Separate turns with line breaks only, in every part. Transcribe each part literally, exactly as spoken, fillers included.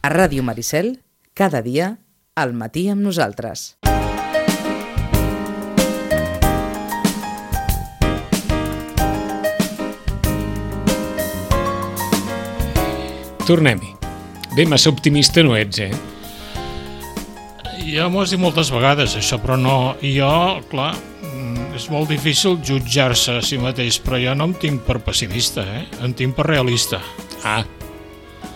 A Ràdio Maricel, cada dia, al matí amb nosaltres.
Tornem-hi. Bé, massa optimista no ets, eh?
Ja m'ho has dit moltes vegades, això, però no... Jo, clar, és molt difícil jutjar-se a si mateix, però jo no em tinc per pessimista, eh? Em tinc per realista.
Ah,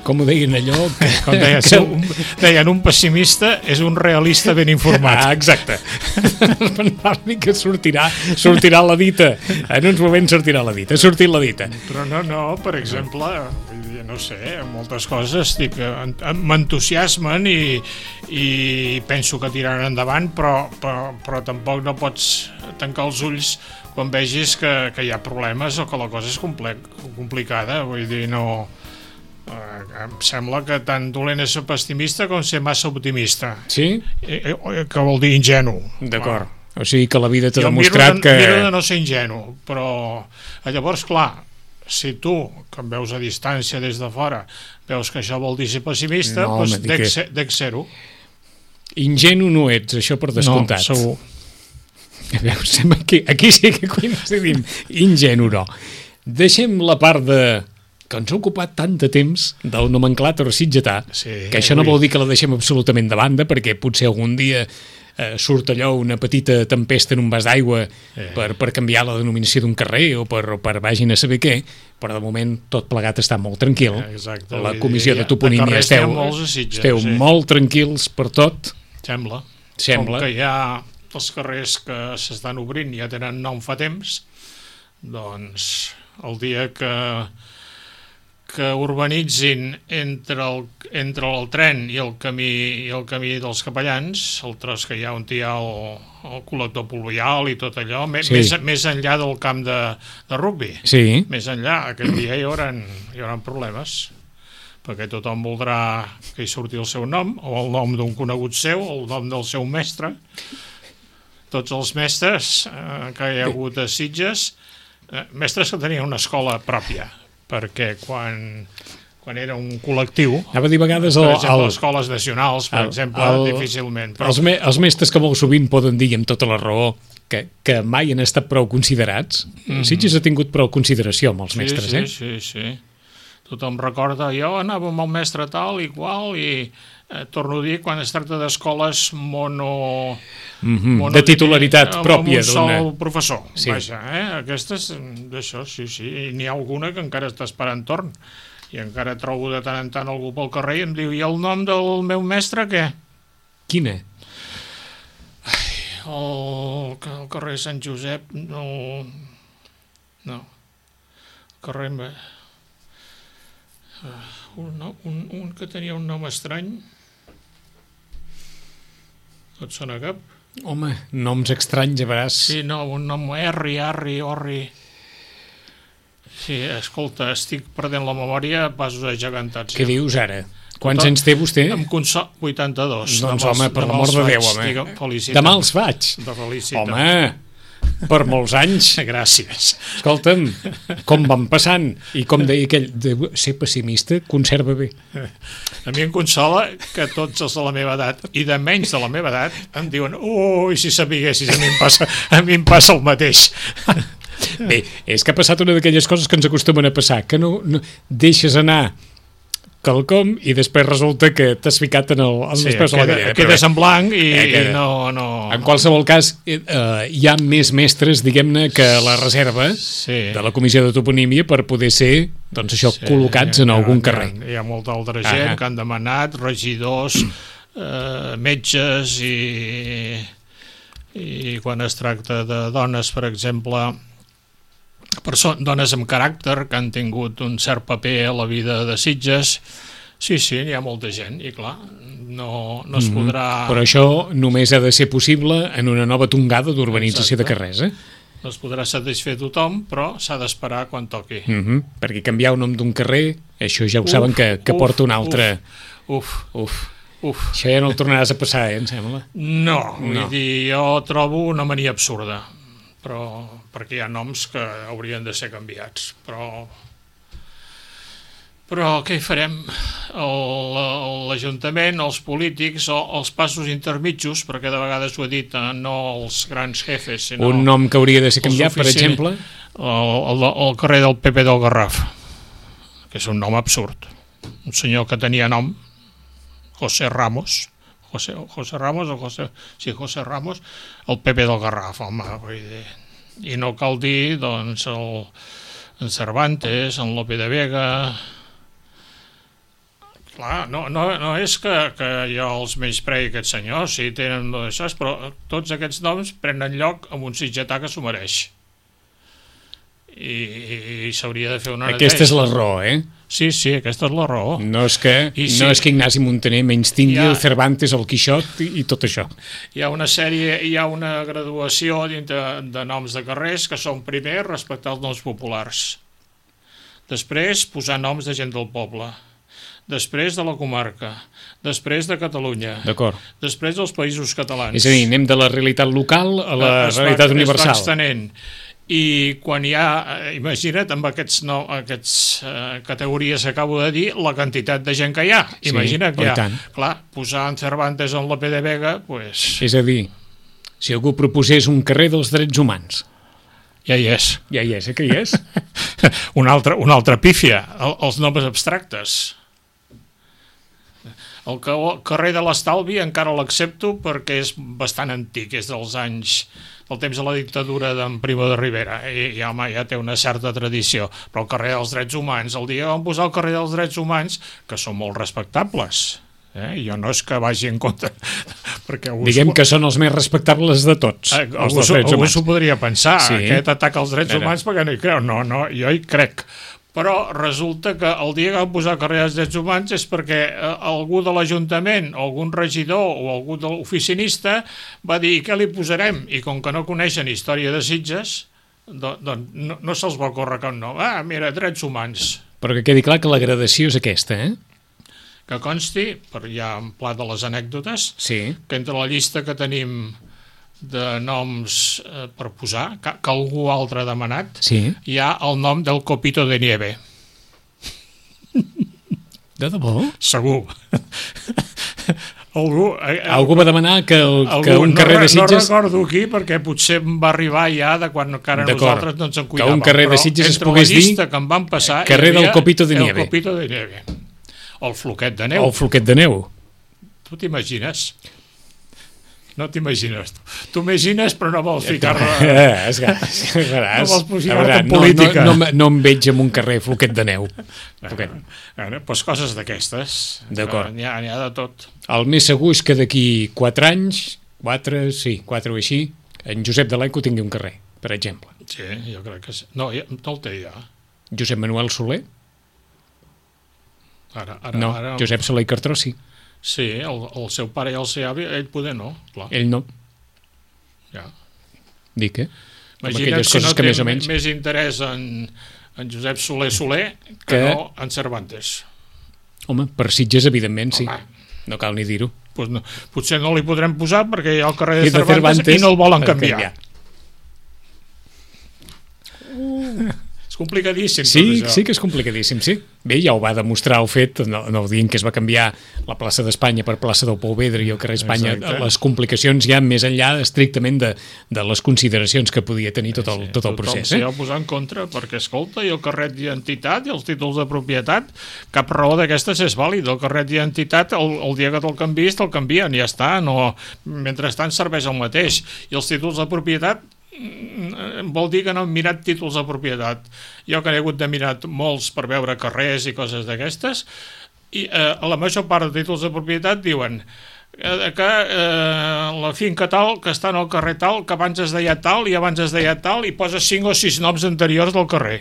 com ho deien allò? Que,
com deien, que... un, deien, un pessimista és un realista ben informat.
Ah, exacte. que sortirà, sortirà la dita. En uns moments sortirà la dita. Ha sortit la dita.
Però no, no, per exemple, no sé, moltes coses dic, m'entusiasmen i, i penso que tiraran endavant, però, però, però tampoc no pots tancar els ulls quan vegis que, que hi ha problemes o que la cosa és complicada. Vull dir, no... em sembla que tant dolent és ser pessimista com ser massa optimista.
Sí?
Que vol dir ingenu.
D'acord. O sigui que la vida t'ha demostrat
miro de,
que...
miro de no ser ingenu, però llavors, clar, si tu, que em veus a distància des de fora, veus que això vol dir ser pessimista, no, doncs dec, que... ser, dec ser-ho.
Ingenu no ets, això per descomptat.
No, segur.
A veure, aquí, aquí sí que coincidim. Ingenu no. Deixem la part de... que ens ha ocupat tant de temps del nomenclàtor sitgetà, sí, que això no vol dir que la deixem absolutament de banda, perquè potser algun dia eh, surt allò una petita tempesta en un vas d'aigua eh. per, per canviar la denominació d'un carrer o per, o per vagin a saber què, però de moment tot plegat està molt tranquil.
Exacte,
la comissió de toponímia
de
esteu,
Sitges,
esteu
sí.
molt tranquils per tot.
Sembla.
Sembla.
Com que hi ha els carrers que s'estan obrint i ja tenen nom fa temps, doncs el dia que que urbanitzin entre el, entre el tren i el camí i el camí dels capellans, el tros que hi ha on hi ha el, el col·lector pluvial i tot allò, més, sí. més, més enllà del camp de, de rugbi.
Sí.
Més enllà, aquell dia hi haurà, hi haurà problemes, perquè tothom voldrà que hi surti el seu nom, o el nom d'un conegut seu, o el nom del seu mestre. Tots els mestres eh, que hi ha hagut a Sitges, eh, mestres que tenien una escola pròpia, perquè quan, quan era un col·lectiu,
anava a dir vegades
per
el,
exemple,
el,
escoles nacionals, per el, exemple, el, difícilment. Però...
Els, me, els mestres que molt sovint poden dir, amb tota la raó, que, que mai han estat prou considerats. Mm-hmm. Sitges ha tingut prou consideració amb els
sí,
mestres,
sí,
eh?
Sí, sí, sí. Tothom recorda, jo anava amb el mestre tal i qual, i eh, torno a dir, quan es tracta d'escoles mono...
Mm-hmm. mono de titularitat
amb
pròpia
d'un sol professor.
Sí.
Vaja, eh? Aquestes, d'això, sí, sí. I n'hi ha alguna que encara està esperant torn. I encara trobo de tant en tant algú pel carrer i em diu, i el nom del meu mestre, què?
Quina?
Ai, el, el carrer Sant Josep, no... No. El carrer... Un, un, un que tenia un nom estrany. No et sona cap?
Home, noms estranys, a veuràs.
Sí, no, un nom Erri, Arri, Orri... Sí, escolta, estic perdent la memòria a passos agegantats.
Què ja. Dius ara? Quants anys té vostè?
Em consol... vuitanta-dos.
Doncs, home, per l'amor de Déu, home. Demà els faig.
De felicita.
Home, per molts anys.
Gràcies.
Escolta'm, com van passant. I com deia aquell, de ser pessimista conserva bé.
A mi em consola que tots els de la meva edat i de menys de la meva edat em diuen, ui, si sapiguessis, a mi em passa, a mi em passa el mateix.
Bé, és que ha passat una d'aquelles coses que ens acostumen a passar, que no, no deixes anar quelcom i després resulta que t'has ficat en el, en
sí,
després
queda,
de la galleda.
Quedes en blanc i,
eh,
i no, no...
En qualsevol cas, eh, hi ha més mestres, diguem-ne, que la reserva
sí.
de la comissió de toponímia per poder ser, doncs això, sí, col·locats en algun carrer.
Hi ha, hi ha molta altra gent ah, que han demanat, regidors, eh, metges i, i quan es tracta de dones, per exemple... Persones, dones amb caràcter que han tingut un cert paper a la vida de Sitges, sí, sí, hi ha molta gent i clar, no, no es podrà...
Mm-hmm. Però això només ha de ser possible en una nova tongada d'urbanització de carrers, eh?
No es podrà satisfer tothom, però s'ha d'esperar quan toqui.
Mm-hmm. Perquè canviar el nom d'un carrer, això ja ho uf, saben que, que uf, porta un altre...
Uf, uf, uf.
Això ja no el tornaràs a passar, eh, em sembla?
No, vull
no.
dir, jo trobo una mania absurda, però perquè hi ha noms que haurien de ser canviats, però Però què hi farem? L'Ajuntament, els polítics o els passos intermitjos, perquè de vegades ho he dit, no els grans jefes, sinó...
Un nom que hauria de ser canviat, per exemple?
El, el, el carrer del Pepe del Garraf, que és un nom absurd. Un senyor que tenia nom, José Ramos, José, José Ramos o José... Sí, José Ramos, el Pepe del Garraf, home, vull dir... I no cal dir, doncs, el, en Cervantes, en Lope de Vega... Clar, no, no, no és que, que jo els menysprei aquests senyors, si tenen això, però tots aquests noms prenen lloc amb un sitgetà que s'ho mereix. I, i s'hauria de fer una neteja.
Aquesta és la raó, eh?
Sí, sí, aquesta és la raó.
No és que,
I sí,
no és que Ignasi Montaner menys tingui
ha,
el Cervantes, el Quixot i, i tot això.
Hi ha una sèrie, hi ha una graduació dintre de noms de carrers que són primer respectar els noms populars. Després posar noms de gent del poble. Després de la comarca, després de Catalunya, després dels països catalans.
És a dir, anem de la realitat local a la es realitat va, universal. Es va extenent.
I quan hi ha, imagina't, amb aquestes no, aquests, uh, categories que acabo de dir, la quantitat de gent que hi ha. Imagina't
sí,
que hi ha. Clar, posar en Cervantes en Lope de Vega, pues...
És a dir, si algú proposés un carrer dels drets humans...
Ja hi és.
Ja hi és, eh, que hi és?
una, altra, una altra pífia, el, els noms abstractes. El carrer de l'Estalvi encara l'accepto perquè és bastant antic, és dels anys, del temps de la dictadura d'en Primo de Rivera, i ja, home, ja té una certa tradició, però el carrer dels drets humans, el dia que vam posar el carrer dels drets humans, que són molt respectables, eh? Jo no és que vagi en compte, perquè
diguem que són els més respectables de tots,
eh,
els
algú,
dels drets
algú
humans.
s'ho podria pensar,
sí.
Aquest ataca als drets
Era.
humans perquè no hi creu, no, no, jo hi crec. Però resulta que el dia que vam posar carrer dels drets humans és perquè algú de l'Ajuntament, o algun regidor o algú de l'oficinista va dir què li posarem, i com que no coneixen història de Sitges, doncs no, no se'ls va córrer cap nom. Ah, mira, drets humans.
Però que quedi clar que la gradació és aquesta, eh?
Que consti, per ja en pla de les anècdotes,
sí.
Que entre la llista que tenim de noms eh, per posar, que, que algú altre ha demanat,
sí.
Hi ha el nom del Copito de Nieve.
De debò?
Segur. algú, eh,
algú va demanar que, el,
algú,
que un carrer
no,
de Sitges...
No recordo qui, perquè potser em va arribar ja de quan encara nosaltres no ens en cuidàvem.
Que un carrer de Sitges es pogués dir...
que em van passar,
carrer del Copito de Nieve.
El Copito de Nieve. O el Floquet de Neu.
O el Floquet de Neu.
Tu t'imagines? No t'imagines. Tu imagines, però no vols ficar-la...
Eh, esgaràs.
No vols posar-te en política.
No, no, no, no em veig en un carrer Floquet de Neu.
Bueno, bueno, doncs coses d'aquestes.
D'acord.
N'hi ha, n'hi ha de tot.
El més segur és que d'aquí quatre anys, quatre, sí, quatre o així, en Josep de l'Eco tingui un carrer, per exemple.
Sí, jo crec que sí. No, ja, no el té ja.
Josep Manuel Soler?
Ara, ara,
no,
ara...
Josep Soler i Cartró sí.
Sí, el, el seu pare i el seu avi, ell poder no, clar.
Ell no.
Ja.
Dic, eh?
Imagina't si no té més, menys... més interès en, en Josep Soler Soler que, que no en Cervantes.
Home, per Sitges, evidentment, sí. Home. No cal ni dir-ho.
Pues no, potser no li podrem posar perquè hi ha el carrer de, de Cervantes, Cervantes i no el volen canviar. canviar. Uh. Complicadíssim.
Sí, sí que és complicadíssim, sí. Bé, ja ho va demostrar el fet, no, no dient que es va canviar la plaça d'Espanya per plaça del Pou Vedre i el carrer Espanya, exacte. Les complicacions ja més enllà estrictament de, de les consideracions que podia tenir tot el, tot el procés.
Tothom s'hi ha posat en contra, perquè, escolta, i el carret d'identitat i els títols de propietat, cap raó d'aquestes és vàlid. El carret d'identitat, el, el dia que te'l canvies, te'l canvien, ja està. No, mentrestant serveix el mateix. I els títols de propietat vol dir que no hem mirat títols de propietat. Jo que he hagut de mirar molts per veure carrers i coses d'aquestes, i eh, la major part de títols de propietat diuen eh, que eh, la finca tal, que està en el carrer tal, que abans es deia tal i abans es deia tal, i posa cinc o sis noms anteriors del carrer.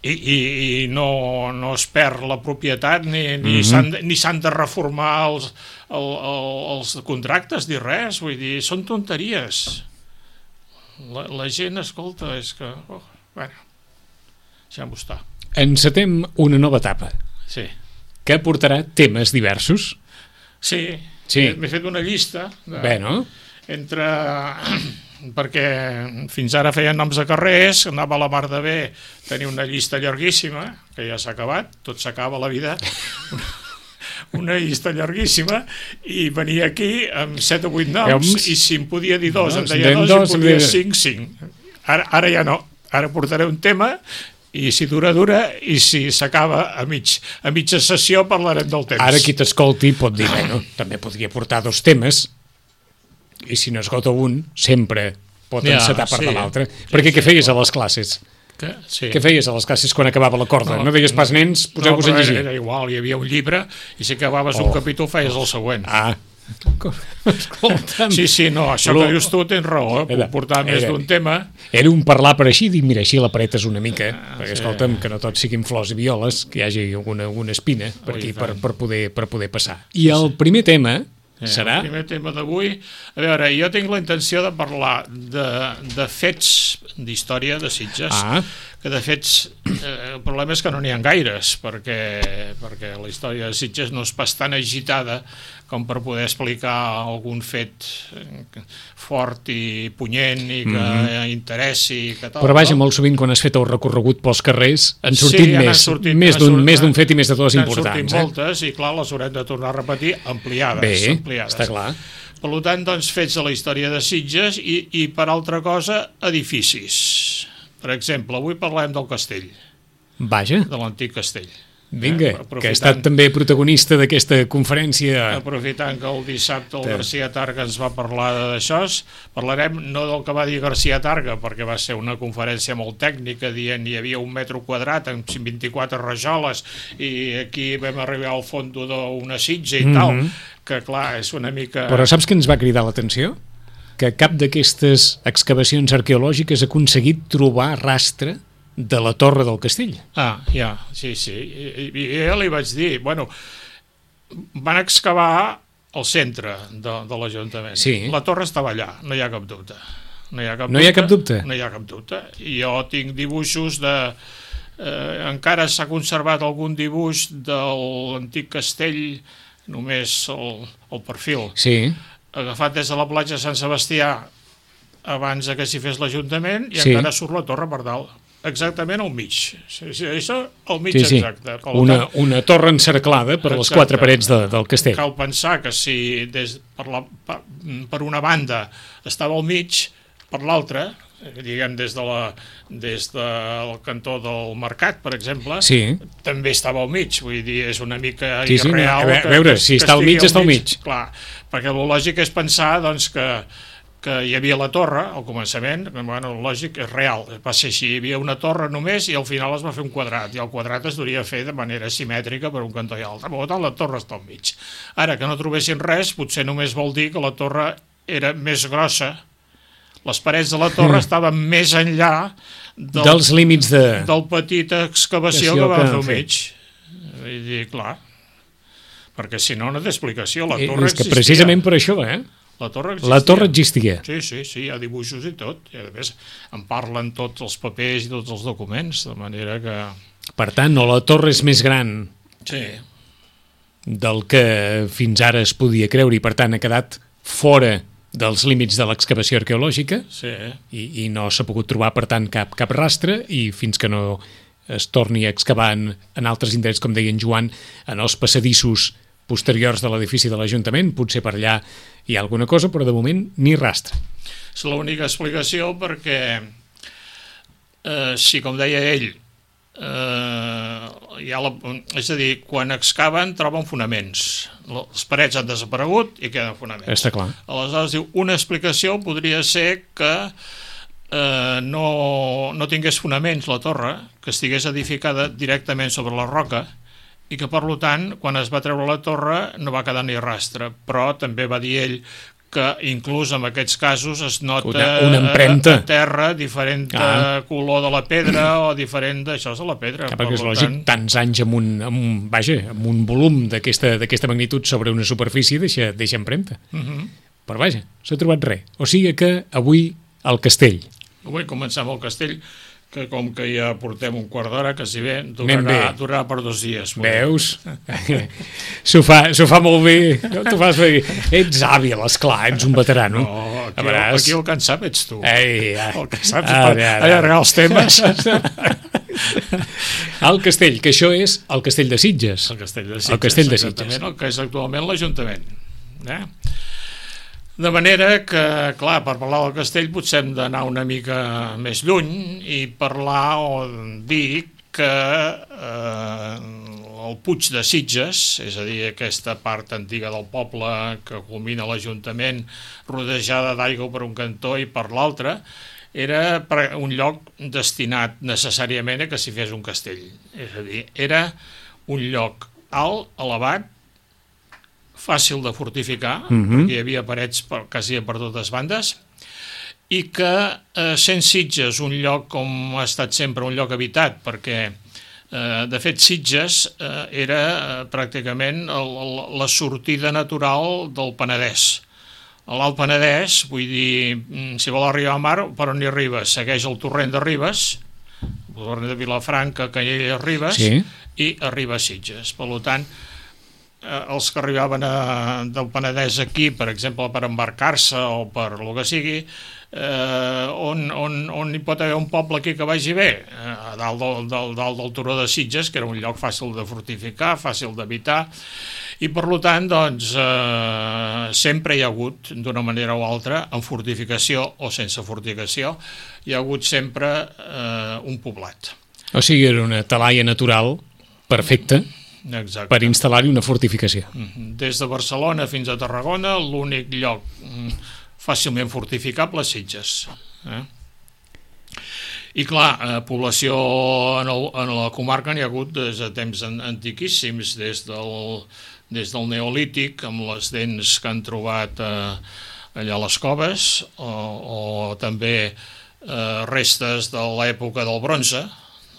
I, i, i no, no es perd la propietat ni, ni mm-hmm. s'han de reformar els, el, el, els contractes ni res, vull dir, són tonteries. La, la gent, escolta, és que... Oh, bueno, deixem-ho estar.
Encetem una nova etapa.
Sí.
Que portarà temes diversos.
Sí,
sí.
M'he fet una llista de,
Bé, no?
entre perquè fins ara feien noms de carrers, anava a la mar de bé, tenia una llista llarguíssima, que ja s'ha acabat, tot s'acaba a la vida, una llista llarguíssima, i venia aquí amb set o vuit noms, i si em podia dir dos, em deia dos, i em podia cinc, cinc. Ara, ara ja no, ara portaré un tema, i si dura, dura, i si s'acaba a, mig, a mitja sessió parlarem del temps.
Ara qui t'escolti pot dir, bueno, també podria portar dos temes, i si no esgota un, sempre pot ja, encetar part sí, de l'altre. Sí, perquè sí, què feies a les classes?
Que, sí.
Què feies a les classes quan acabava la corda? No, no deies pas, nens, poseu-vos
no,
a llegir.
Era igual, hi havia un llibre, i si acabaves oh. un capítol feies el següent.
Ah, escolta'm.
Sí, sí, no, això que dius tu tens raó, eh? Puc portar més d'un tema.
Era un parlar per així, dir, mira, així l'apretes una mica, ah, perquè, sí. escolta'm, que no tots siguin flors i violes, que hi hagi alguna, alguna espina per aquí, per, per, poder, per poder passar. I el primer tema
eh,
serà...
El primer tema d'avui, a veure, jo tinc la intenció de parlar de, de fets d'història de Sitges, ah. que de fets, eh, el problema és que no n'hi ha gaires, perquè, perquè la història de Sitges no és pas tan agitada com per poder explicar algun fet fort i punyent i que mm-hmm. interessi. Que tal,
però vaja,
no?
molt sovint quan has fet el recorregut pels carrers han sortit
sí,
més,
sortit,
més d'un més d'un fet i més de totes importants.
Han sortit eh? moltes i clar, les haurem de tornar a repetir ampliades.
Bé,
ampliades.
està clar.
Per tant, doncs, fets de la història de Sitges i, i per altra cosa, edificis. Per exemple, avui parlem del castell.
Vaja.
De l'antic castell.
Vinga, eh? que ha estat també protagonista d'aquesta conferència.
Aprofitant que el dissabte el García Targa ens va parlar d'això, parlarem no del que va dir García Targa, perquè va ser una conferència molt tècnica, dient hi havia un metro quadrat amb vint-i-quatre rajoles i aquí vam arribar al fons d'una sitja i mm-hmm. tal, que clar, és una mica...
Però saps què ens va cridar l'atenció? Que cap d'aquestes excavacions arqueològiques ha aconseguit trobar rastre de la torre del castell.
Ah, ja, sí, sí. I, i ja li vaig dir, bueno, van excavar el centre de, de l'Ajuntament.
Sí.
La torre estava allà, no hi ha cap dubte. No hi ha cap,
no
dubte,
hi ha cap dubte?
No hi ha cap dubte. I jo tinc dibuixos de... Eh, encara s'ha conservat algun dibuix de l'antic castell, només el, el perfil. Sí. Agafat des de la platja de Sant Sebastià abans que s'hi fes l'Ajuntament i sí. encara surt la torre per dalt. Exactament al mig. Sí, sí, això al mig sí, sí. exacte.
Una, una torre encerclada per exacte. les quatre parets de, del castell.
Cal pensar que si des, per, la, per, per una banda estava al mig, per l'altra, diguem des, de la, des del cantó del Mercat, per exemple, sí. també estava al mig. Vull dir, és una mica
sí, sí,
irreal.
No. A veure, que, si que està al mig, al està al mig. mig.
Clar, perquè el lògic és pensar doncs, que que hi havia la torre, al començament, bueno, lògic, és real, va ser així, hi havia una torre només i al final es va fer un quadrat, i el quadrat es duria a fer de manera simètrica per un cantó i l'altre, per tant la torre està al mig. Ara, que no trobessin res, potser només vol dir que la torre era més grossa, les parets de la torre estaven més enllà del,
dels límits de...
del petita excavació que va fer al mig. Vull dir, clar, perquè si no, no té explicació, la torre
existia. És que precisament per això, eh?
La torre existia.
La torre existia.
Sí, sí, sí, hi ha dibuixos i tot. I a més en parlen tots els papers i tots els documents, de manera que...
Per tant, o la torre és més gran
sí.
del que fins ara es podia creure i per tant ha quedat fora dels límits de l'excavació arqueològica
sí.
i, i no s'ha pogut trobar, per tant, cap, cap rastre i fins que no es torni a excavar en, en altres indrets, com deia en Joan, en els passadissos posteriors de l'edifici de l'Ajuntament, potser per allà hi ha alguna cosa, però de moment ni rastre.
És l'única explicació perquè, eh, si com deia ell, eh, hi ha la, és a dir, quan excaven troben fonaments. Les parets han desaparegut i queden fonaments.
Està clar.
Aleshores diu, una explicació podria ser que eh, no, no tingués fonaments la torre, que estigués edificada directament sobre la roca, i que, per tant, quan es va treure la torre no va quedar ni rastre, però també va dir ell que inclús en aquests casos es nota
una, una empremta
a, a terra diferent ah. color de la pedra o diferent d'això de la pedra.
Ah, perquè és lògic, tant... tants anys amb un, amb un, vaja, amb un volum d'aquesta magnitud sobre una superfície deixa, deixa empremta. Uh-huh. Però vaja, s'ha trobat res. O sigui que avui el castell.
Avui comencem el castell, que com que ja portem un quart d'hora, que si bé durarà, durarà per dos dies.
Veus? S'ho fa, fa molt bé. No t'ho fas bé. Ets hàbil, esclar, ets un veterano.
No, aquí,
veuràs...
aquí el que en sap ets tu.
Ei, ja.
El que saps
Ara,
per
ara.
allargar els temes.
El castell, que això és el castell de Sitges.
El castell de Sitges,
el castell de Sitges.
exactament, el que és actualment l'Ajuntament. Eh? De manera que, clar, per parlar del castell potser hem d'anar una mica més lluny i parlar o dir que eh, el Puig de Sitges, és a dir, aquesta part antiga del poble que culmina l'Ajuntament, rodejada d'aigua per un cantó i per l'altre, era un lloc destinat necessàriament a que s'hi fes un castell. És a dir, era un lloc alt, elevat, fàcil de fortificar,
Mhm.
perquè hi havia parets per, quasi per totes bandes, i que, eh, sent Sitges un lloc com ha estat sempre un lloc habitat, perquè eh, de fet Sitges eh, era eh, pràcticament el, el, la sortida natural del Penedès. A l'Alt Penedès, vull dir, si vol arribar a mar, per on hi arriba? Segueix el torrent de Ribes, el torrent de Vilafranca, Canyelles, Ribes,
Sí.
i arriba a Sitges. Per tant, eh, els que arribaven a, del Penedès aquí, per exemple, per embarcar-se o per el que sigui, eh, on, on, on hi pot haver un poble aquí que vagi bé? Eh, a dalt del, del, dalt del turó de Sitges, que era un lloc fàcil de fortificar, fàcil d'habitar, i per tant, doncs, eh, sempre hi ha hagut, d'una manera o altra, en fortificació o sense fortificació, hi ha hagut sempre eh, un poblat.
O sigui, era una talaia natural perfecta
Exacte.
per instal·lar-hi una fortificació.
Des de Barcelona fins a Tarragona, l'únic lloc mm, fàcilment fortificable és Sitges. Eh? I clar, eh, població en, el, en la comarca n'hi ha hagut des de temps an, antiquíssims, des del, des del Neolític, amb les dents que han trobat eh, allà a les coves, o, o també eh, restes de l'època del bronze,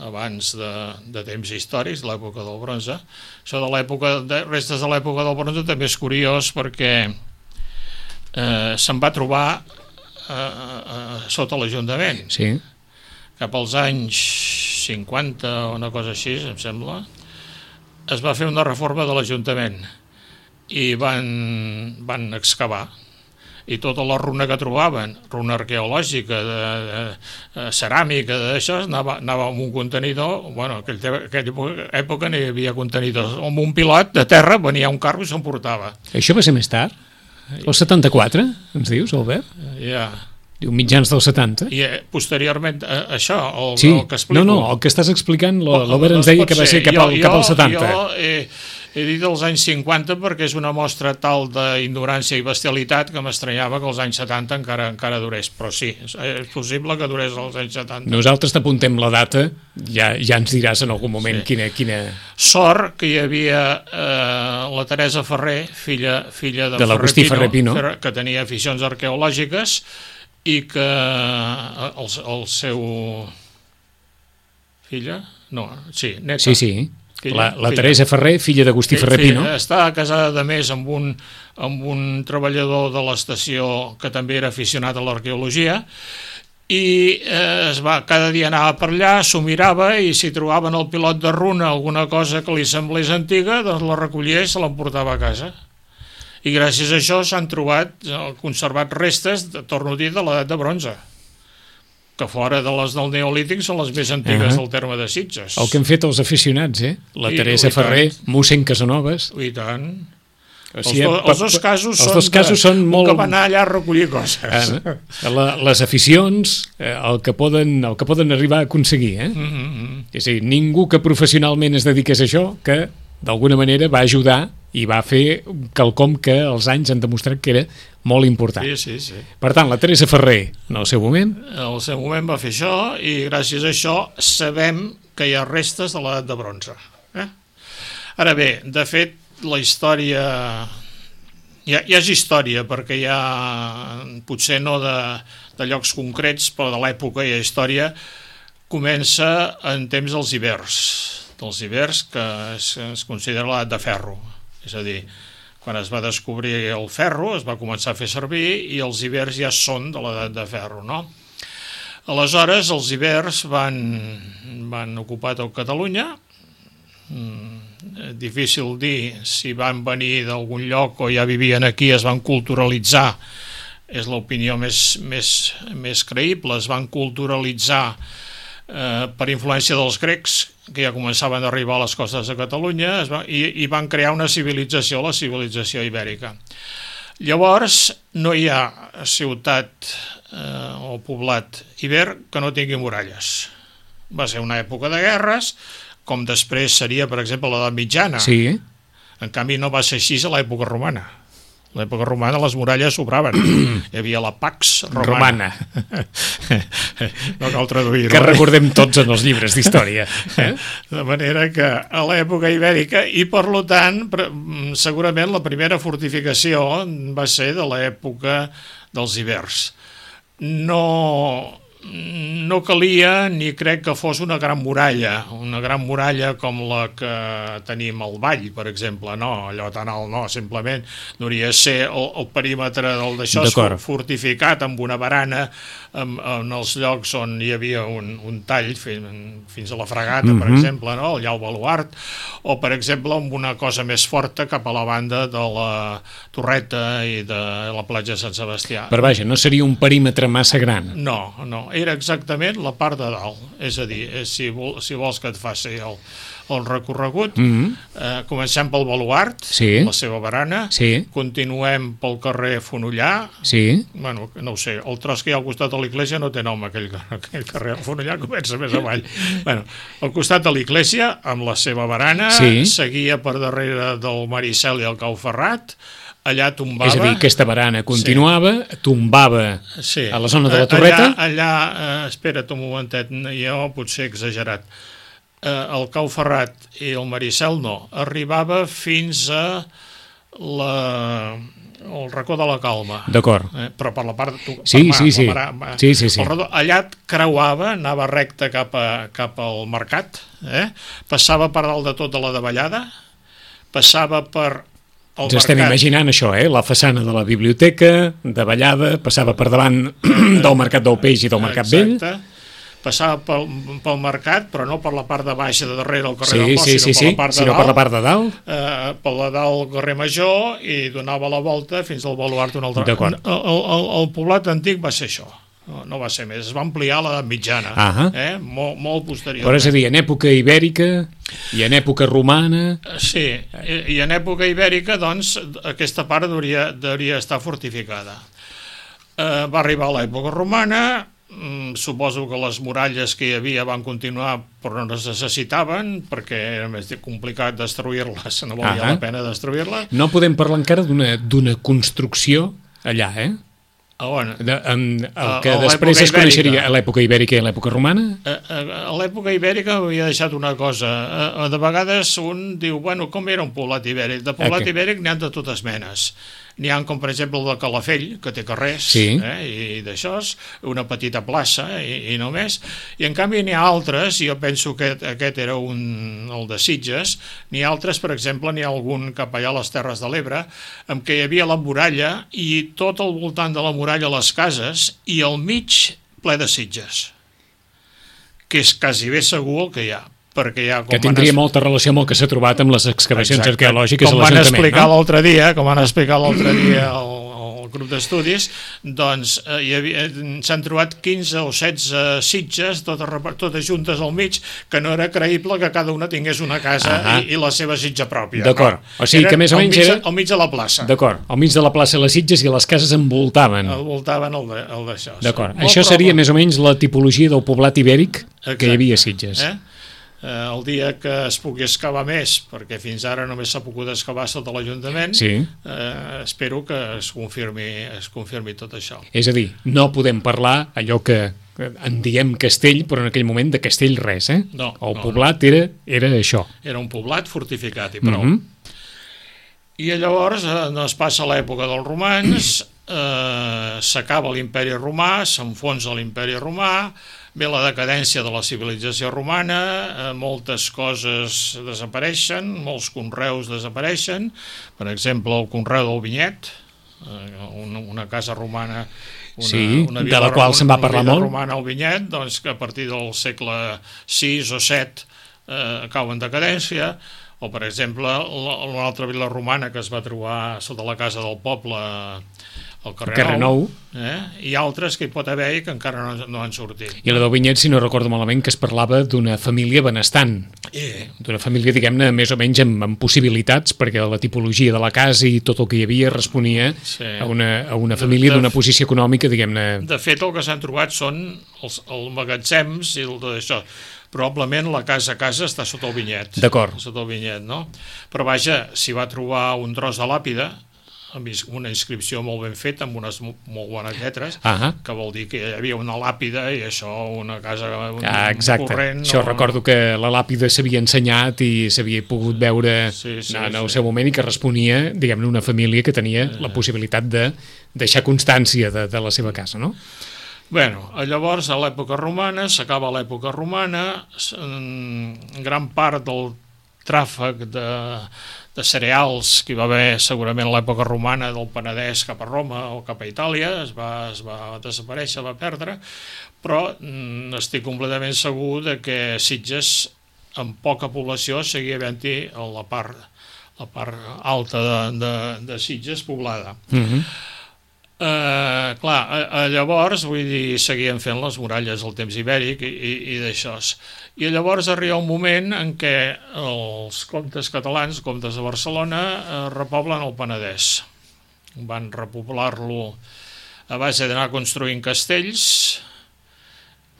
abans de, de temps històrics, l'època del bronze. Això de l'època de restes de l'època del bronze també és curiós perquè eh, se'n va trobar eh, eh, sota l'Ajuntament.
Sí.
Cap als anys cinquanta o una cosa així, em sembla, es va fer una reforma de l'Ajuntament i van, van excavar, i tota la runa que trobaven, runa arqueològica, de, de, de ceràmica, d'això, anava, anava amb un contenidor, bueno, en aquella, aquella època no hi havia contenidors, amb un pilot de terra venia un carro i s'emportava.
Això va ser més tard? El setanta-quatre, ens dius, Albert?
Ja.
Diu mitjans del setanta.
I eh, posteriorment, eh, això, el,
Sí,
el que explico...
no, no, el que estàs explicant, l'Albert ens
Doncs
deia
pot
que va
ser.
ser cap
Jo-
al, cap al
jo-
setanta.
Jo he, he dit els anys cinquanta perquè és una mostra tal d'ignorància i bestialitat que m'estranyava que els anys setanta encara encara durés, però sí, és, és possible que durés els anys setanta.
Nosaltres t'apuntem la data, ja, ja ens diràs en algun moment
Sí.
quina, quina...
Sort que hi havia eh, la Teresa Ferrer, filla, filla de,
De l'Agustí Ferrer Pino.
Ferrer, que tenia aficions arqueològiques i que eh, el, el seu... Filla? No, sí, neta.
Sí, sí.
Filla,
La, la
filla.
Teresa Ferrer, filla d'Agustí Ferrer
Sí,
Pino.
estava casada de més amb un, amb un treballador de l'estació que també era aficionat a l'arqueologia i eh, es va, cada dia anava per allà, s'ho mirava i si trobaven el pilot de runa alguna cosa que li semblés antiga, doncs la recollia i se l'emportava a casa. I gràcies a això s'han trobat, eh, conservat restes, de, torno a dir, de l'edat de bronze, que fora de les del Neolític són les més antigues
Ah.
del terme de Sitges.
El que han fet els aficionats, eh? La
I-
Teresa
i tant.
Ferrer, mossèn Casanovas.
I tant.
O
Els,
sigui,
do,
pa-
els dos casos
els
són,
dos casos
de,
són
un
molt...
que va anar allà a recollir coses.
Eh, la, les aficions, eh, el, que poden, el que poden arribar a aconseguir, eh?
Mm -hmm.
És a dir, ningú que professionalment es dediqués a això, que d'alguna manera va ajudar i va fer quelcom que els anys han demostrat que era molt important.
Sí, sí, sí.
Per tant, la Teresa Ferrer, en el seu moment,
En el seu moment va fer això i gràcies a això sabem que hi ha restes de l'edat de bronze. Eh? Ara bé, de fet, la història... Ja, ja és història, perquè hi ha, potser no de, de llocs concrets, però de l'època hi ha història, comença en temps dels ibers, dels ibers que es, es considera l'edat de ferro. És a dir, quan es va descobrir el ferro, es va començar a fer servir i els ibers ja són de l'edat de ferro, no? Aleshores, els ibers van, van ocupar tot Catalunya. Mm, difícil dir si van venir d'algun lloc o ja vivien aquí, es van culturalitzar és l'opinió més, més, més creïble, es van culturalitzar eh, per influència dels grecs, que ja començaven a arribar a les costes de Catalunya, es va, i, i van crear una civilització, la civilització ibèrica. Llavors, no hi ha ciutat eh, o poblat ibèric que no tingui muralles. Va ser una època de guerres, com després seria, per exemple, l'edat mitjana.
Sí.
En canvi, no va ser així a l'època romana. A l'època romana les muralles sobraven. Hi havia la Pax Romana.
Romana.
No cal traduir-ho.
Que recordem tots en els llibres d'història. Eh?
De manera que a l'època ibèrica, i per tant, segurament la primera fortificació va ser de l'època dels ibers. No... no calia ni crec que fos una gran muralla, una gran muralla com la que tenim al Vall, per exemple, no, allò tan alt no, simplement hauria de ser el, el perímetre del d'això fortificat amb una barana en, en els llocs on hi havia un, un tall fins, fins a la Fragata, mm-hmm. per exemple, no? Allà al baluart, o per exemple amb una cosa més forta cap a la banda de la Torreta i de la platja de Sant Sebastià.
Però vaja, no seria un perímetre massa gran.
No, no, era exactament la part de dalt, és a dir, si, vol, si vols que et faci el, el recorregut, mm-hmm. eh, comencem pel baluart,
sí.
la seva barana, sí. continuem pel carrer Fonollar,
sí.
bueno, no ho sé, el tros que hi ha al costat de l'església no té nom, aquell, aquell carrer Fonollar comença més avall. Bueno, al costat de l'església, amb la seva barana, sí. seguia per darrere del Maricel i el Cau Ferrat, allà tombava...
És a dir, aquesta barana continuava, sí. tombava sí. a la zona de la Torreta...
Allà, allà eh, espera't un momentet, jo potser he exagerat, eh, el Cau Ferrat i el Maricel no, arribava fins a la... el racó de la Calma.
D'acord.
Eh, però per la part... Tu,
sí,
per
sí, sí.
Mar, mar,
sí, sí, sí.
Redó, allà creuava, anava recte cap, a, cap al mercat, eh? Passava per dalt de tota la davallada, passava per...
Ens estem imaginant això, eh? La façana de la biblioteca, davallada, passava per davant del Mercat del Peix i del Mercat
Exacte.
Vell.
Passava pel, pel mercat, però no per la part de baixa de darrere del carrer
sí,
del Port,
sí,
sinó,
sí,
per,
sí.
la part de
sinó
dalt,
per la part de dalt.
Eh, per la dalt del carrer Major i donava la volta fins al baluart un altre.
D'acord.
El, el, el poblat antic va ser això. No, no va ser més, es va ampliar a l'edat mitjana,
uh-huh.
eh? molt, molt posterior.
Però és a dir, en època ibèrica i en època romana...
Sí, i, i en època ibèrica, doncs, aquesta part hauria, hauria estar fortificada. Eh, va arribar a l'època romana, mm, suposo que les muralles que hi havia van continuar però no es necessitaven, perquè era més complicat destruir-les, no valia uh-huh. la pena destruir-les.
No podem parlar encara d'una d'una construcció allà, eh?
A on?
De, en, el que a després es coneixeria a l'època ibèrica i a l'època romana?
A, a, a l'època ibèrica havia deixat una cosa. A, a, de vegades un diu, bueno, com era un poblat ibèric? De poblat okay. ibèric n'hi ha de totes menes. N'hi ha com, per exemple, el de Calafell, que té carrers,
sí.
eh, i d'això, una petita plaça, i, i només. I, en canvi, n'hi ha altres, i jo penso que aquest era un, el de Sitges, n'hi ha altres, per exemple, n'hi ha algun cap allà a les Terres de l'Ebre, en què hi havia la muralla, i tot al voltant de la muralla les cases, i al mig ple de sitges, que és quasi bé segur el que hi ha. Perquè ja, com
que tindria es... molta relació amb el que s'ha trobat amb les excavacions Exacte. arqueològiques
com
a l'Ajuntament.
Van explicar
no?
l'altre dia, com van explicar l'altre dia el, el grup d'estudis, doncs eh, hi havia, s'han trobat quinze o setze sitges, totes, totes juntes al mig, que no era creïble que cada una tingués una casa uh-huh. i, i la seva sitja pròpia.
D'acord.
No?
O sigui Eren que més o menys
al mig,
era...
al mig de la plaça.
D'acord. Al mig de la plaça les sitges i les cases envoltaven.
Envoltaven el, de, el d'això.
D'acord. Això seria més o menys la tipologia del poblat ibèric Exacte. que hi havia a Sitges.
Eh? Eh, el dia que es pugui excavar més, perquè fins ara només s'ha pogut excavar sota l'Ajuntament,
sí.
eh, espero que es confirmi, es confirmi tot això.
És a dir, no podem parlar allò que en diem castell, però en aquell moment de castell res, eh?
No,
el
no,
poblat
no.
Era, era això.
Era un poblat fortificat i prou.
Mm-hmm.
I llavors eh, es passa l'època dels romans, eh, s'acaba l'imperi romà, s'enfonsa l'imperi romà, ve la decadència de la civilització romana, eh, moltes coses desapareixen, molts conreus desapareixen, per exemple el conreu del vinyet, eh, una, una casa romana, una,
sí,
una
de la qual se'n va parlar molt.
Una vila romana al vinyet, doncs que a partir del segle sis o set eh, cau en decadència, o per exemple una altra vila romana que es va trobar sota la casa del poble el carrer,
carrer Nou,
eh? I altres que hi pot haver i que encara no, no han sortit.
I la del Vinyet, si no recordo malament, que es parlava d'una família benestant,
I...
d'una família, diguem-ne, més o menys amb, amb possibilitats, perquè la tipologia de la casa i tot el que hi havia responia sí. a, una, a una família d'una posició econòmica, diguem-ne...
De fet, el que s'han trobat són els, els magatzems i el d'això. Probablement la casa a casa està sota el Vinyet.
D'acord.
Sota el Vinyet, no? Però vaja, s'hi va trobar un tros de làpida, amb una inscripció molt ben feta, amb unes molt bones lletres,
uh-huh.
que vol dir que hi havia una làpida i això, una casa un,
ah, exacte.
corrent...
Això
no...
recordo que la làpida s'havia ensenyat i s'havia pogut veure sí, sí, en el sí. seu moment i que responia, diguem-ne, una família que tenia la possibilitat de deixar constància de, de la seva casa, no?
Bueno, llavors, a l'època romana, s'acaba l'època romana, gran part del tràfic de... de cereals que hi va haver segurament a l'època romana del Penedès cap a Roma o cap a Itàlia, es va, es va desaparèixer, va perdre, però mm, estic completament segur de que Sitges, amb poca població, seguia havent-hi la part, la part alta de, de, de Sitges poblada.
Mhm.
Uh, clar, a, a llavors, vull dir, seguien fent les muralles al temps ibèric i, i, i d'això. I llavors arriba un moment en què els comtes catalans, comtes de Barcelona, eh, repoblen el Penedès. Van repoblar-lo a base d'anar construint castells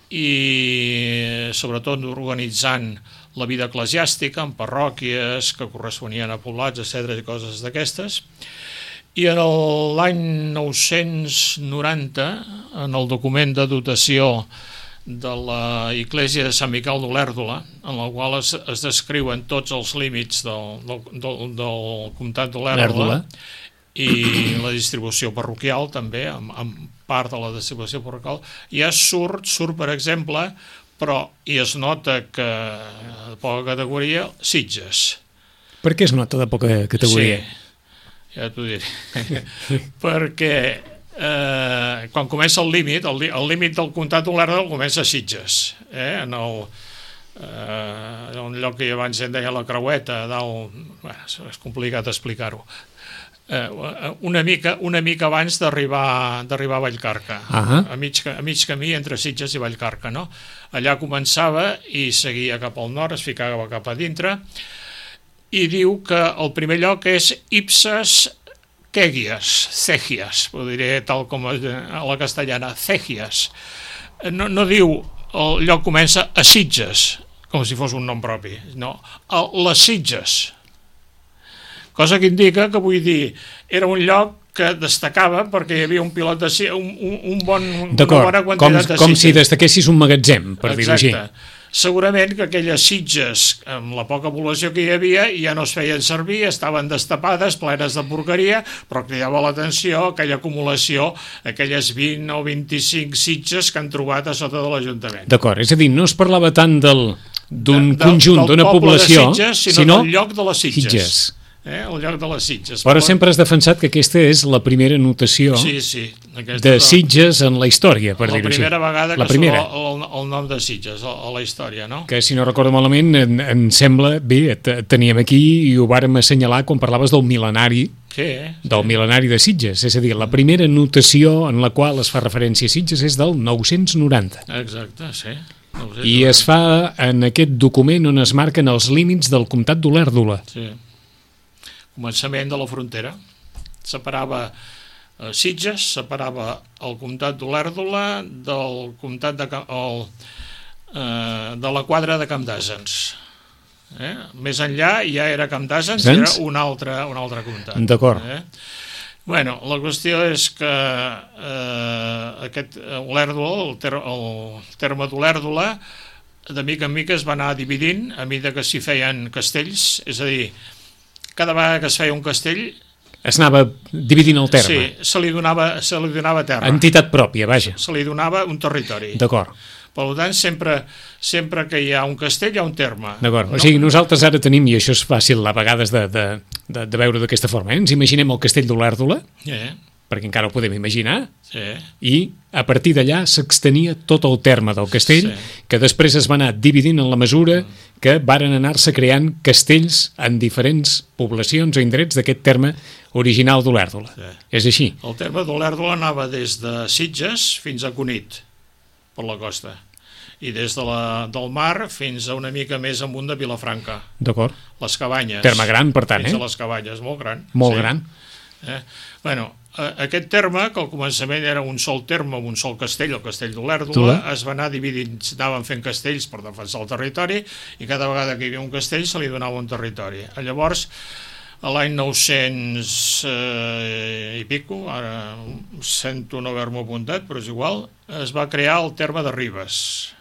i sobretot organitzant la vida eclesiàstica en parròquies que corresponien a poblats, etcètera i coses d'aquestes. I en l'any nou-cents noranta, en el document de dotació de la Iglésia de Sant Miquel d'Olèrdola, en la qual es, es descriuen tots els límits del, del, del, del comtat d'Olèrdola i la distribució parroquial també, amb, amb part de la distribució parroquial, ja surt, surt per exemple, però i es nota que de poca categoria, Sitges.
Per què es nota de poca categoria?
Sí. Ja t'ho diré, perquè eh, quan comença el límit, el, el límit del comtat d'Olèrdola comença a Sitges, eh, en el, eh, un lloc que abans en deia la Creueta, dalt, bueno, és complicat explicar-ho, eh, una, mica, una mica abans d'arribar d'arribar a Vallcarca, uh-huh. a, mig, a mig camí entre Sitges i Vallcarca, no? Allà començava i seguia cap al nord, es ficava cap a dintre, i diu que el primer lloc és Ipses Cegias, Cegias, ho diré tal com a la castellana, Cegias. No, no diu el lloc comença a Sitges, com si fos un nom propi, no, a les Sitges. Cosa que indica que, vull dir, era un lloc que destacava perquè hi havia un pilot de un, un, un bon, una bona quantitat
com,
de Sitges.
Com si destaquessis un magatzem, per dir-ho així.
Exacte. Segurament que aquelles Sitges, amb la poca població que hi havia, ja no es feien servir, estaven destapades, plenes de porqueria, però cridava l'atenció aquella acumulació, aquelles vint o vint-i-cinc Sitges que han trobat a sota de l'Ajuntament.
D'acord, és a dir, no es parlava tant d'un conjunt, d'una població,
de Sitges, sinó, sinó del lloc de les Sitges. Sitges. Eh, el lloc de les Sitges.
Però sempre has defensat que aquesta és la primera notació
sí, sí,
de Sitges en la història, per dir-ho així.
La primera vegada que surt el, el nom de Sitges a la història, no?
Que, si no recordo malament, en, en sembla, bé, teníem aquí i ho vàrem assenyalar quan parlaves del mil·lenari,
sí,
del
sí.
mil·lenari de Sitges. És a dir, la primera notació en la qual es fa referència a Sitges és del nou-cents noranta.
Exacte, sí.
I es fa en aquest document on es marquen els límits del comtat d'Olèrdola.
Sí. Començament de la frontera. Separava eh, Sitges, separava el comtat d'Olèrdola del comtat de, el, eh, de la quadra de Camp d'Àsens. Eh? Més enllà ja era Camp d'Àsens, era un altre, un altre comtat.
D'acord.
Eh? Bueno, la qüestió és que eh, aquest Olèrdola, el, ter el terme d'Olèrdola, de mica en mica es va anar dividint a mesura que s'hi feien castells, és a dir, cada vegada que es feia un castell...
Es anava dividint el terme.
Sí, se li donava, se li donava terra.
Entitat pròpia, vaja.
Se li donava un territori.
D'acord.
Per tant, sempre, sempre que hi ha un castell hi ha un terme.
D'acord, no? O sigui, nosaltres ara tenim, i això és fàcil a vegades de, de, de, de veure d'aquesta forma, eh? Ens imaginem el castell d'Olèrdola,
yeah.
perquè encara ho podem imaginar,
Sí.
i a partir d'allà s'extenia tot el terme del castell,
Sí.
que després es va anar dividint en la mesura que varen anar-se creant castells en diferents poblacions o indrets d'aquest terme original d'Olèrdola.
Sí.
És així.
El terme d'Olèrdola anava des de Sitges fins a Cunit, per la costa, i des de la, del mar fins a una mica més amunt de Vilafranca,
D'acord?
les Cabanyes.
Terme gran, per tant,
fins
eh?
a les Cabanyes, molt gran.
Molt
sí.
gran.
Eh? Bueno, eh, aquest terme, que al començament era un sol terme, un sol castell, el castell d'Olèrdola,
Tula.
es va anar dividint, anaven fent castells per defensar el territori, i cada vegada que hi havia un castell se li donava un territori. Llavors, a l'any nou-cents eh, i pico, ara sento no haver-m'ho apuntat, però és igual, es va crear el terme de Ribes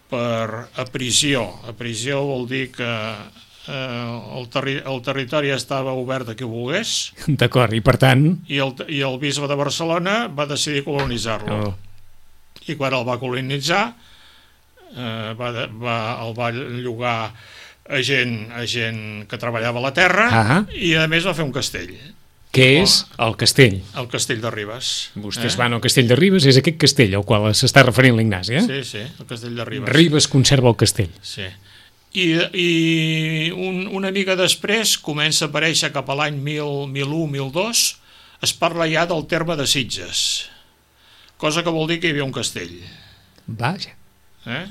per aprisió. Aprisió vol dir que eh, el, terri el territori estava obert a qui volgués,
D'acord, i per tant...
i el, i el bisbe de Barcelona va decidir colonitzar-lo.
Oh,
I quan el va colonitzar, eh, va, de, va, el va llogar a gent, a gent que treballava a la terra,
Ah.
i a més va fer un castell,
què és el castell?
el castell de Ribes.
Vostès van al castell de Ribes, és aquest castell al qual s'està referint l'Ignasi, eh?
Sí, sí, el castell de Ribes.
Ribes conserva el castell.
Sí. I, i un, una mica després comença a aparèixer cap a l'any mil, mil u, mil dos, es parla ja del terme de Sitges, cosa que vol dir que hi havia un castell.
Vaja.
Eh?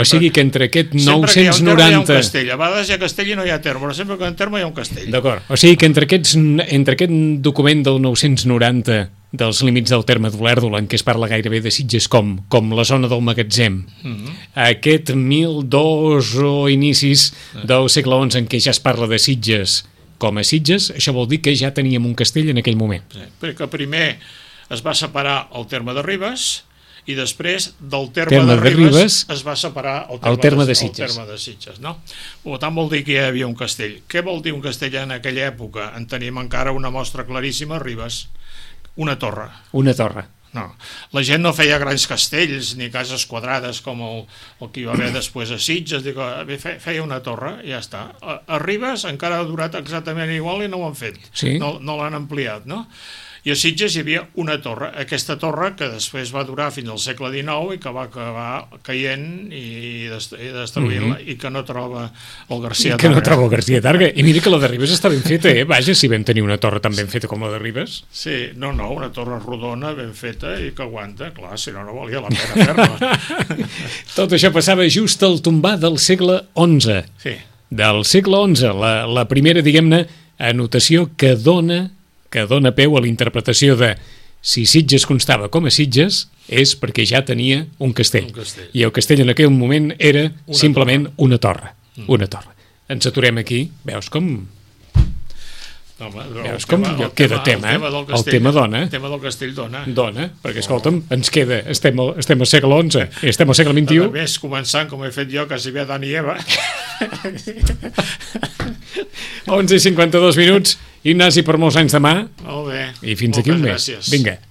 O sigui que entre aquest
Sempre que hi ha un terme hi ha un
nou-cents noranta...
castell. A vegades hi ha castell i no hi ha terme, però sempre que hi ha un terme hi ha un castell.
D'acord. O sigui que entre, aquests, entre aquest document del nou-cents noranta dels límits del terme d'Olèrdola, en què es parla gairebé de Sitges com, com la zona del magatzem,
Mm -hmm.
aquest mil dos o inicis del segle onze en què ja es parla de Sitges com a Sitges, això vol dir que ja teníem un castell en aquell moment.
Sí, perquè primer es va separar el terme de Ribes i després del terme,
Terme
de,
de
Ribes,
Ribes
es va separar el terme,
el terme de
de,
Sitges.
el terme de Sitges, no? Per tant, vol dir que ja hi havia un castell. Què vol dir un castell en aquella època? En tenim encara una mostra claríssima a Ribes, una torre.
Una torre.
No. La gent no feia grans castells ni cases quadrades com el, el que hi va haver després a Sitges, dic, feia una torre i ja està. A, a Ribes encara ha durat exactament igual i no ho han fet,
Sí.
no, no l'han ampliat, no? I a Sitges hi havia una torre, aquesta torre que després va durar fins al segle dinou i que va acabar caient i, dest i destruint-la, mm -hmm. i que no troba el García
I que no
Targa.
trobo García Targa. I mira que la de Ribes està ben feta, eh? Vaja, si vam tenir una torre tan ben feta com la de Ribes.
Sí, no, no, una torre rodona ben feta i que aguanta, clar, si no, no valia la pena fer-la.
Tot això passava just al tombar del segle onze.
Sí.
Del segle onze, la, la primera, diguem-ne, anotació que dona, que dona peu a la interpretació de si Sitges constava com a Sitges és perquè ja tenia un castell.
Un castell.
I el castell en aquell moment era
Una
simplement
torre.
una torre.
Mm.
Una torre. Ens aturem aquí. Veus com...
No, home,
Veus com
el
queda tema,
el tema,
eh?
del
El
castell,
tema dona.
El tema del castell dona.
Dona, perquè, escolta'm, ens queda... Estem, al- estem al segle onze i estem al segle vint-i-u.
A més, començant, com he fet jo, quasi bé Adán i Eva.
onze i cinquanta-dos minuts. Ignasi, per molts anys demà.
Molt bé.
I fins aquí un mes.
Moltes gràcies.
Vinga.